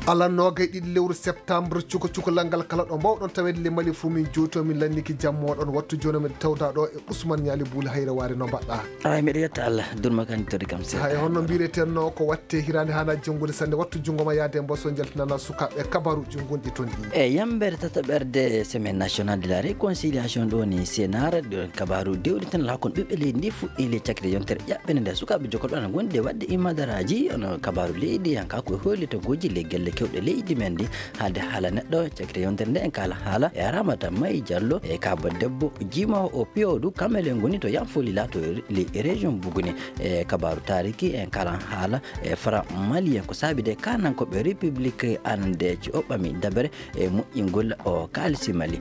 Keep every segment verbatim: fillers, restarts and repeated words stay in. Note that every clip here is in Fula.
Alan noogay ɗiɗi lewru septembre, cuka cukalal ngal kala ɗo mbawɗon taweede le Mali fuu, min jooto, min lanniki jammo ɗon. Wattu jooni min tawda ɗo e Ousmane Ñaali Buuli Hayre Waare, no mbaɗɗa? Ay, miɗo yetta Allah, durma kan todi kam seeɗa. Hay honno mbiretenno ko watte hiraande hana janngude sanne? Wattu junngo ma yaade mboso njaltinana sukaaɓe kabaruuji gonɗi toon ɗi. E yambeere tataɓerde Semaine Nationale de la Réconciliation ɗo ni Sénar, ɗo kabaaru dewɗi tan laakon ɓiɓɓe leydi ndi fuɗɗi le cakri yontere ɓe nde sukaaɓe jokolɓe ana ngondi e waɗde imadaraaji, ono kabaaru leydi, hanka ko e hollitagooji le gelle kewɗe leydi men ndi. Haalde haala neɗɗo, cakite yontere nde en kaala haala e Ramata Mayi Diallo e kaaba debbo jiimoowo o piyodu, kamɓe le ngoni to Yanfo Lila to le région Buguni. E kabaaru taariki en kaala haala e Franc malien, ko saabi de kanankooɓe République anande ci o ɓami dabere e moƴƴingol o kaalisi Mali.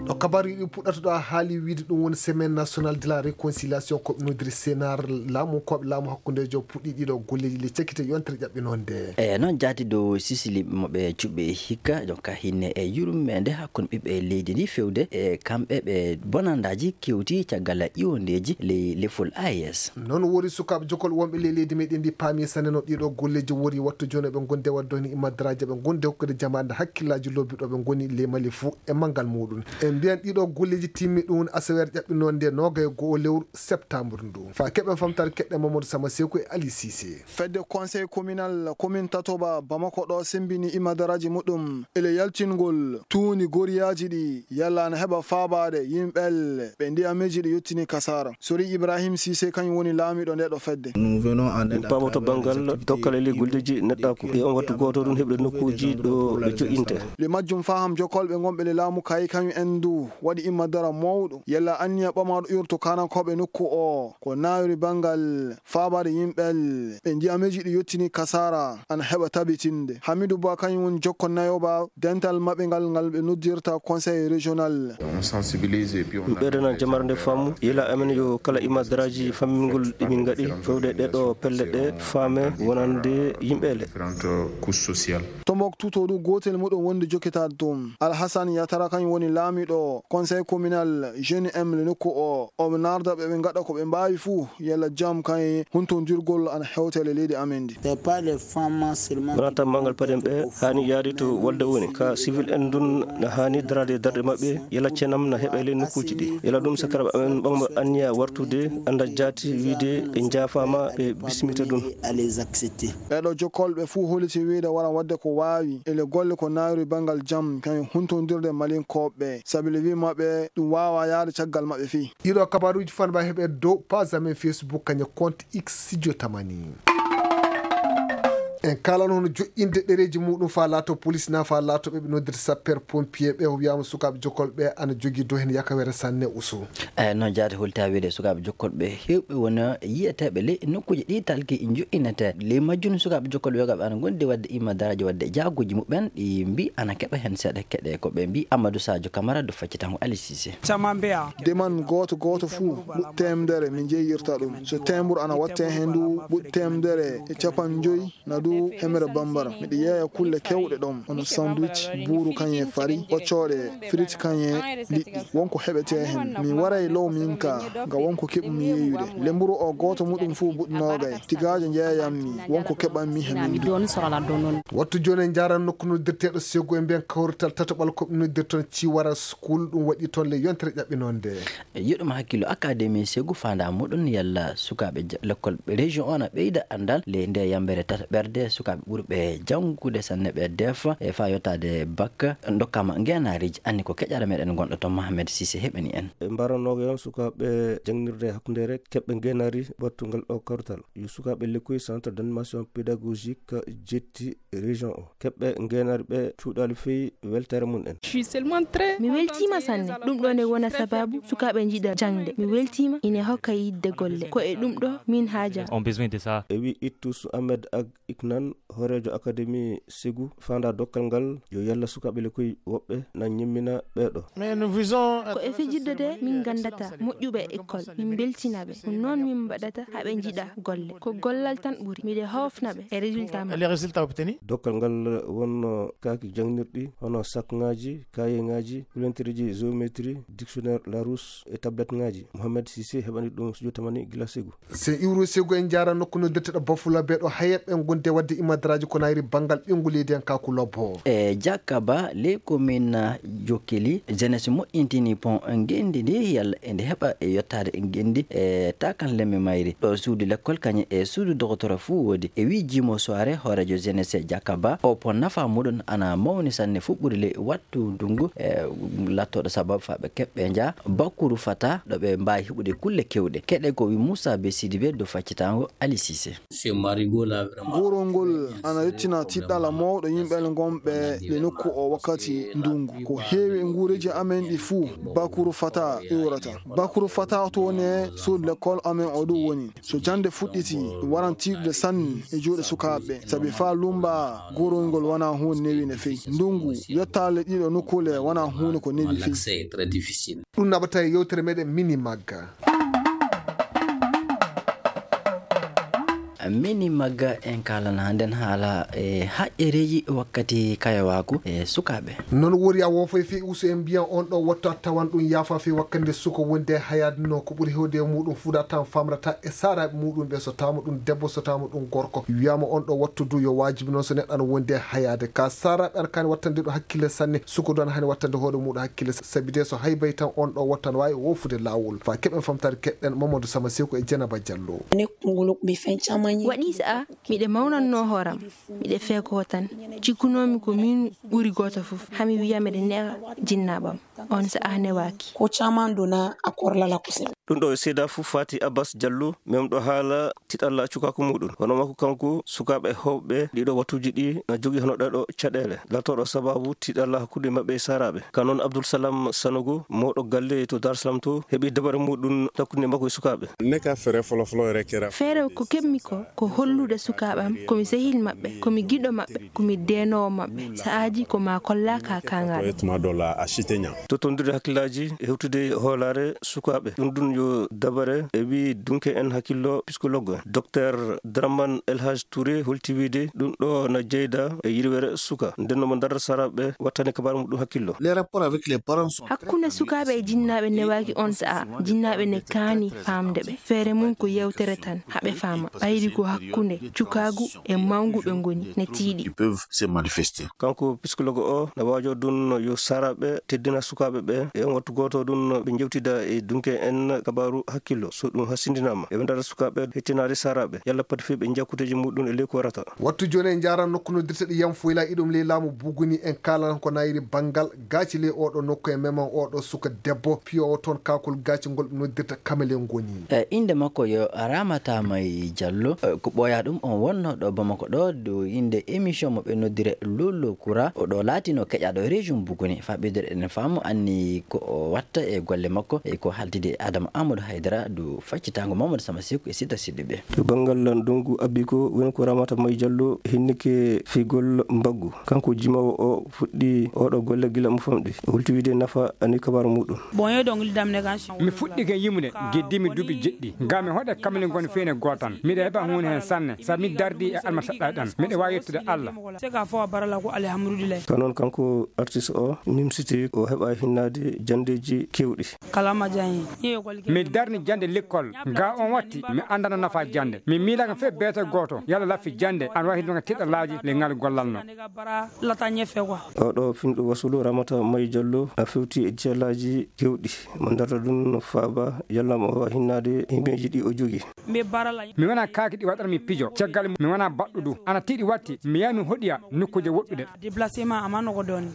Ɗo kabaaru yiɗi puɗɗata ɗo, a haali wiide ɗum woni Semaine Nationale de la Réconciliation, ko ɓe nodiri Sénar, laamu, ko ɓe laamu hakkundeejo puɗɗi ɗiɗo golleeji le cakite yontere ƴaɓɓinoo nde. E noon jaati dow sisili mo ɓe cuɓɓe hikka, donc hinne e yurmeende hakkunde ɓiɓɓe leydi ndi fewde e kamɓe ɓe bonandaaji kewti caggal iwondeeji ley lefol A E S. Noon wori sukaaɓe jokol wonɓe ley leydi meɗen ndi paami sanne no ɗiɗo golleeji wori. Wattu jooni ɓe gonde wadde ni imadaraaji ɓe gonde hokkude jamaande hakkillaaji lobbi ɗo ɓe ngoni ley Mali fuu e manngal muɗum. En mbiyan ɗiɗo golleeji timmi ɗum asaweere ƴaɓɓinoo nde noogay e go'o lewru septembre ndu. Fa keɓen famtaare keɗɗe Mamadou Sama Seku e Ali Cissé. Fedde conseil communal commune Tatoba Bamako ɗo sembini imadaraaji muɗum ele yaltingol tuundi goriyaaji ɗi yalla ana heɓa faabaade yimɓe ɓe ndiyameeji ɗi yottini kasaara. Sori Ibrahim Cissé kañum woni laamiiɗo nde ɗo fedde. Min pamoto banngal dokkal e ley golleeji neɗɗaaku. E on wattu gooto ɗum heɓde nokkuuji ɗo ɓe joƴinte. Le majjum faham jokolɓe ngonɓe le laamu kay kañum en du waɗi imma dara mawɗo. Yalla anniya ɓamaaɗo urto kanankooɓe nokku o ko naawiri banngal faabaade yimɓe ɓe ndiyameeji ɗi yottini kasaara ana heɓa tabitinde. Hamidu Ba kañum woni jokko nayo ba dental maɓɓe ngal, ngal ɓe noddirta conseil régional. On sensibilise et puis on Ɗum ɓeydanan jamare nde faamu, yila amen yo kala imadaraaji fammingol ɗi min ngaɗi, fewde ɗe ɗo pelle ɗe faame wonande yimɓe le. Différentes couches sociales. Tombouctou to ɗum gootel muɗum wonde jokkitaade toon. Alhassane Yatara kañum woni laamiiɗo conseil communal jeune M le nokku o. Omo naarda ɓe ɓe ngaɗa ko ɓe mbaawi fuu, yalla jam kañum huntondirgol ana hewta e leydi amen ndi. Wonaa tan manngal paden ɓe haani yaade to walde woni ka civil en ndun na haani daraade darɗe maɓɓe, yala cenam na heɓa e ley nokkuuji ɗi. Yala ɗum sakara amen ɓamma anniya wartude annda jaati wiide ɓe njaafaama ɓe bismita ɗum. Ɓeeɗo jokkolɓe fuu holliti wiide wara waɗde ko waawi ele golle ko naawiri banngal jam kañum huntondirde malinkooɓe sabi le wi maɓɓe ɗum waawa yaade caggal maɓɓe fii. Ɗiɗo kabaaruuji fanba heɓe dow page amen Facebook kañum compte X Studio Tamani. En kaalano hono joƴƴinde ɗereeji muɗum faa laato police na faa laato ɓe ɓe noddirta sapeur pompier ɓe, o wiyaama sukaaɓe jokol ɓe ana jogii dow heen yakawere sanne usu. Eyi, noon jaati holta wiide sukaaɓe jokol ɓe heewɓe wona yiyeteeɓe ley nokkuuji ɗi talki joƴƴinete. Ley majjum sukaaɓe jokol ɓe yoga ɓe ana ngondi waɗde imma daraaji waɗde jaagooji muɓɓen ɗi mbi ana keɓa heen seeɗa keɗe ko ɓe mbi Amadou Sadio Camara do faccitango Ali Cissé. Deman gooto gooto fuu ɓuɗ teemedere mi jeeyirta ɗum. So teembur ana watte heen ndu ɓuɗ teemedere e capanɗe joyi na du hemere bambara. Miɗo yeeya kulle kewɗe ɗoon, hono sandwich, buuru kañum e fari, ɓoccooɗe, frit kañum e liɗɗi. Wonko heɓetee heen. Mi waray low min ka, nga wonko keɓmi yeeyude. Lemburu o gooto muɗum fuu buɗ noogay. Tigaajo njeeyammi, wonko keɓammi he min du. Wattu jooni en njaaran nokku noddirteeɗo Segu e mbiyen kawrital tataɓal ko ɓe noddirton Ciwara School, ɗum waɗi toon le yontere ƴaɓɓinoo nde. Yeɗum hakkillo Académie Segu faandaa muɗum yalla sukaaɓe ja-, lekkol région o na ɓeyda anndal le nde yambeere tataɓerde sukaaɓe ɓurɓe janngude sanne ɓe defa e faa yottaade bakka ndokkama ngeenaariiji. Anni ko keƴara meɗen gonɗo toon Mohamed Cissé heɓani en. E mbaranooga yon sukaaɓe jangnirde hakkundeere keɓɓe ngeenaari battungal o kawrital. Yo sukaaɓe lekkoy Centre d'animation pédagogique jetti région o. Keɓɓe ngeenaari ɓe cuuɗaali fey weltaare mum en. Mi weltiima sanne. Ɗum ɗo ne wona sababu sukaaɓe njiɗa jaŋde. Mi weltiima ine hokka yiɗde golle. Ko e ɗum ɗo min haajaa. E wi Ittus Ahmed Ag Iknan, hooreejo Académie Segu, faandaa dokkal ngal yo yalla sukaaɓe lekkoy woɓɓe na ñemmina ɓee ɗo. Ko e fijirde de min nganndata moƴƴuɓe e école, min mbeltina ɓe. Ko noon min mbaɗata haa ɓe njiɗa golle. Ko gollal tan ɓuri. Miɗo hoofna ɓe e résultat maɓɓe. Dokkal ngal wonno kaaki jaŋnirɗi, hono sakŋaaji, kayeŋaaji, kulentereeji géométrie, dictionnaire Larousse e tabletŋaaji. Mohamed Cissé heɓani ɗum studio Tamani gila Segu. Sen iwru Segu en njaara nokku noddirteɗo Bafulabe ɗo hayeɓe ngonde Wadde imadaraaji ko nayri banngal ɓiyngu leydi en, Kaku Lobbo. E Jakaba, ley commune Jokkeli, jeunesse moƴƴintini pont ngenndi ndi, yalla ende heɓa e yottaade ngenndi e takan lemme mayri. Ɗo suudu lekkol kañum e suudu dogotoro fuu woodi. E wii Jimo Soare, hooreejo jeunesse Jakaba, o pont nafa muɗum ana mawni sanne fuɗɗude ley wattu ndungu, e lattooɗo sababu faa ɓe keɓɓe nja Bakuru Fata, ɗo ɓe mbaawi heɓude kulle kewɗe. Keɗe ko wii Moussa Be Sidibe dow faccitaango Ali Cissé. Goorol ngol ana yettina tiɗɗala mawɗo yimɓe ngonɓe le nokku o wakkati ndungu. Ko heewi e nguureeji amen ɗi fuu, Bakuru Fata iwrata. Bakuru Fata to ne suudu lekkol amen o ɗum woni. So jannde fuɗɗiti, ɗum waran tiiɗude sanne e juuɗe sukaaɓe, sabi faa lummba goorol ngol wonaa huunde newi no feewi. Ndungu yottaale ɗiɗo nokkuule wonaa huunde ko newi feewi. Ɗum naɓata e yewtere meɗen Mini Magga. Mini Magga, en kaalana hannden haala e haƴƴereeji wakkati kayawaaku e sukaaɓe. Noon wori a woofay fii usu en mbiyan on ɗo wattu a tawan ɗum yaafa fii wakkande suka wonde e hayaade no ko ɓuri hewde e muɗum fuɗa tan famrata e saaraaɓe muɗum ɓe so tawama ɗum debbo so tawama ɗum gorko. Wiyama on ɗo wattu du yo waajibi noon so neɗɗo ana wonde e hayaade ka saaraaɓe ana kani wattande ɗum hakkille sanne suka du ana hani wattande hoore muɗum hakkille sabi de so haybay tan on ɗo wattu ana waawi woofude laawol fa keɓen famtaade keɗɗen Mamadou Sama Seko e Jenaba Diallo. Waɗi sa'a miɗe mawnannoo hooram, miɗe feekoo tan. Cikkunoomi ko miin ɓuri gooto fof, hami wiya miɗe newa jinnaaɓam. On sa'a newaaki. Ko caman donna a kɔrɔla la kosɛbɛ. Ɗum ɗo e seedaa fof faati Abbas Diallo, memɗo haala tiɗalla cukaaku muɗum. Hono makko kanko, sukaaɓe heewɓe ɗiɗo wattuuji ɗi na jogii hono ɗee ɗo caɗeele, laatooɗo sabaabu tiɗalla hakkunde maɓɓe e saaraaɓe. Ka noon Abdoul Salam Sanogo, mawɗo galle to Dar Salam to, heɓi dabare muɗum hakkunde makko e sukaaɓe. Ne ka feere fɔlɔfɔlɔ yɛrɛ kɛra. Feere ko keɓmi ko, ko hollude sukaaɓe am ko mi sehil maɓɓe, ko mi giɗo maɓɓe, ko mi deenoowo maɓɓe. Sa'aaji ko maa kollaa ka kaŋŋal. Tuma dɔ la, a si tɛ ɲa. Tottondirde hakkillaaji e hewtude hoolaare sukaaɓe. Ɗum ɗum yo dabare e wii dunke en hakkillo psychologue. Docteur Draman El Hadj Touré holti wiide ɗum ɗo na jeyda e yirwere suka. Nden no mo ndarar saraaɓe wattani kabaaru muɗum hakkillo. Les rapports avec les parents sont très... Hakkunde sukaaɓe e jinnaaɓe newaaki on sa'a. Jinnaaɓe ne kaani faamde ɓe. Feere mum ko yewtere tan, haɓe faama. Ɓayri ko hakkunde cukaagu e mawngu ɓe ngoni, ne tiiɗi. Ils peuvent se manifester. Kanko psychologue o na waajo ɗum yo saraaɓe teddina sukaaɓe ɓe. E on wattu gooto ɗum ɓe njewtida e dunke en kabaaru hakkillo. So ɗum hasindinaama, eɓe ndara sukaaɓe hettinaade saraaɓe. Yalla pati fii ɓe njiya kuuteeji muɗum e ley ko warata. Wattu jooni en njaaran nokku noddirteɗo Yam Foyla, iɗum ley laamu Buguni, en kaalan ko nayri banngal gaaci ley oɗo nokku e meman oɗo suka debbo piyowo toon kaakol gaaci ngol ɓe noddirta Kamele ngoni. E innde makko yo Ramata May Diallo, e ko ɓooyaa ɗum on wonno ɗo Bamako ɗo, dow innde émission mo ɓe noddire Lolo Kura, o ɗo laatino keƴaaɗo région Buguni. Faa ɓeydude eɗen faamu anni ko o watta e golle makko, e ko haaltidi e Adama Amadou Haydara, dow faccitaango Mamadou Sama Seku e Sita Siddiɓe. To banngal ndongu abbi ko woni ko Ramata May Diallo hinnike figol mbaggu. Kanko jimoowo o fuɗɗi oɗo golle gila mo famɗi. O hulti wiide nafa ani kabaaru muɗum. Bon, yo dongli damne kan. Mi fuɗɗike yimude, geddi mi duuɓi jeɗɗi. Ngam mi hoɗe kamli ngon feene gootan. Miɗa heɓa huunde heen sanne, sabi mi dardi e alma saɗɗa ɗan. Miɗa waawi yettude Allah. Se ka fo a barala ko alhamdulillah. Ka noon kanko artiste o nimsiti o heɓa hinnaade janndeeji keewɗi. Kalama jaŋi. Mi darni jannde lekkol. Ga on watti, mi anndana nafa jannde. Mi miilaka fe beete gooto, yalla laffi jannde, an wahi ɗum tiɗalaaji le ngal gollal no. Lata ɲɛfɛ quoi. Oɗo finɗo wasulu Ramata May Diallo a fewti e jiyalaaji kewɗi. Mo darta ɗum no faaba yalla mo wawa hinnaade himɓeeji ɗi o jogi. Mi wona kaaki ɗi waɗata mi pijo. Caggal mi wona baɗɗuɗo. Ana tiiɗi watti, mi yaha mi hoɗiya nokkuuje woɗɗuɗe. Déplacement a ma nɔgɔ dɔɔnin.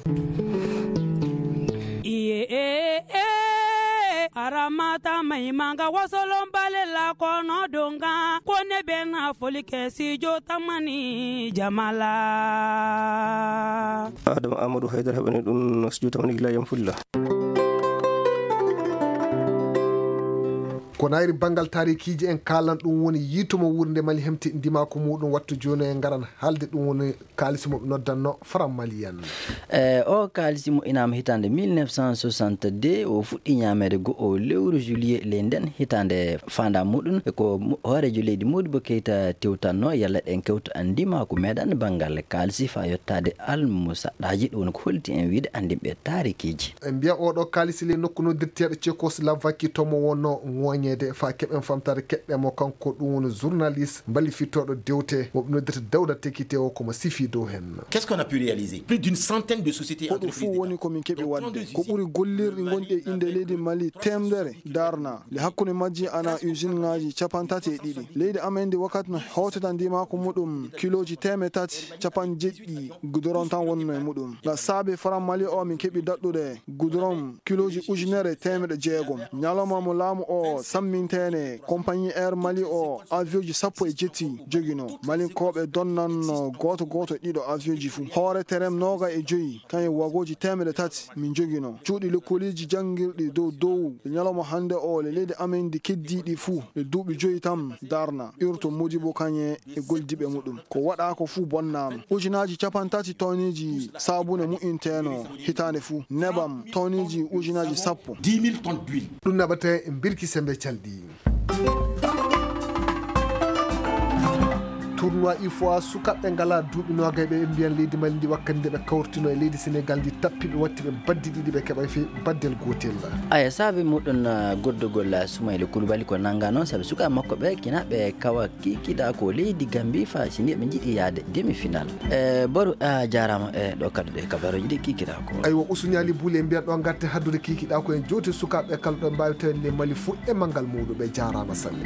Iye, eh, eh, Aramata Maimanga wasolon bale la kɔnɔ don kan. Ko ne bɛ na foli kɛ studio Tamani jama la. Adama Amadou Haydara heɓani ɗum studio Tamani gila yam fulla. Ko nayri banngal taarikiiji en kaalan ɗum woni yiito mo wuurnde Mali hemti ndimaaku muɗum wattu jooni en ngaran haalde ɗum woni kaalisi mo ɓe noddanno Faram Maliyan. E o kaalisi mo inaama hitaande mille neuf cent soixante-deux, o fuɗɗi ñaameede go'o lewru juillet ley nden hitaande. Faandaa muɗum e ko mo-, hooreejo leydi Modibo Keita tewtanno yalla ɗen kewta ndimaaku meɗen banngal kaalisi faa yottaade almusaɗɗaaji, ɗum woni ko holti en wiide anndinɓe taarikiiji. En mbiya oɗo kaalisi ley nokku noddirteeɗo Tchecoslovaquie to mo wonno ŋooñe. Ede fa keɓen famtaade keɓɓe mo kanko ɗum woni journaliste mballifitooɗo dewte mo ɓe noddata Dawda Tekite o komo sifi dow hen. Qu'est-ce qu'on a pu réaliser? Plus d'une centaine de sociétés et Ko ɗum entreprises fof woni ko min keɓi waɗde. Ko ɓuri gollirɗi gonɗi e innde leydi Mali teemdere darna. Le hakkunde majji ana usine ŋaaji capanɗe tati e ɗiɗi. Leydi amen ndi wakkati no hewtata ndimaaku muɗum kilooji teemedde tati capanɗe jeɗɗi goudron tan wonno e muɗum. Nga saabi franc Mali o min keɓi daɗɗude goudron kilooji ujunere e teemedde jeegom. Ñalawma mo laamu o samminteene compagnie Air Mali o avion ji sappo e jetti jogino. Malinkooɓe donnanno gooto gooto ɗiɗo avion ji fuu. Hoore terem noogay e joyi kañum wagooji teemedde tati min jogino. Cuuɗi lekkooliji janngirɗi dow dow e ñalawma hannde o le leydi amen ndi keddiiɗi fuu le duuɓi joyi tan darna. Urto Modibo Kañe e goldiiɓe muɗum. Ko waɗaa ko fuu bonnaama. Ujunaaji capanɗe tati tonneji saabune mu'inteeno hitaande fuu. Nebam tonneji ujunaaji sappo. Ɗum naɓata e mbirki sembe calɗi. Tournoi ifoa sukaaɓe ngalaa duuɓi noogay ɓe mbiyan leydi Mali ndi wakkati nde ɓe kawrtino e leydi Senegal ndi tappi ɓe watti ɓe baddi ɗiɗi ɓe keɓay fe baddel gootel. Aya saabi muɗum goddugol Sumayla Kulubali ko nannga noon sabi sukaaɓe makko ɓe kina ɓe kawa kikiɗa ko leydi Gambi fa si ni ɓe jiɗi yaade demi final. E boru a jaarama e ɗo kadduɗe kabaruji ɗi kikiɗa ko. Aywa usuñali buule mbiyan ɗo gatte haddude kikiɗa ko en jowti sukaaɓe kala ɗo mbawi tawde le Mali fo e manngal mawɗo ɓe jaarama sanne.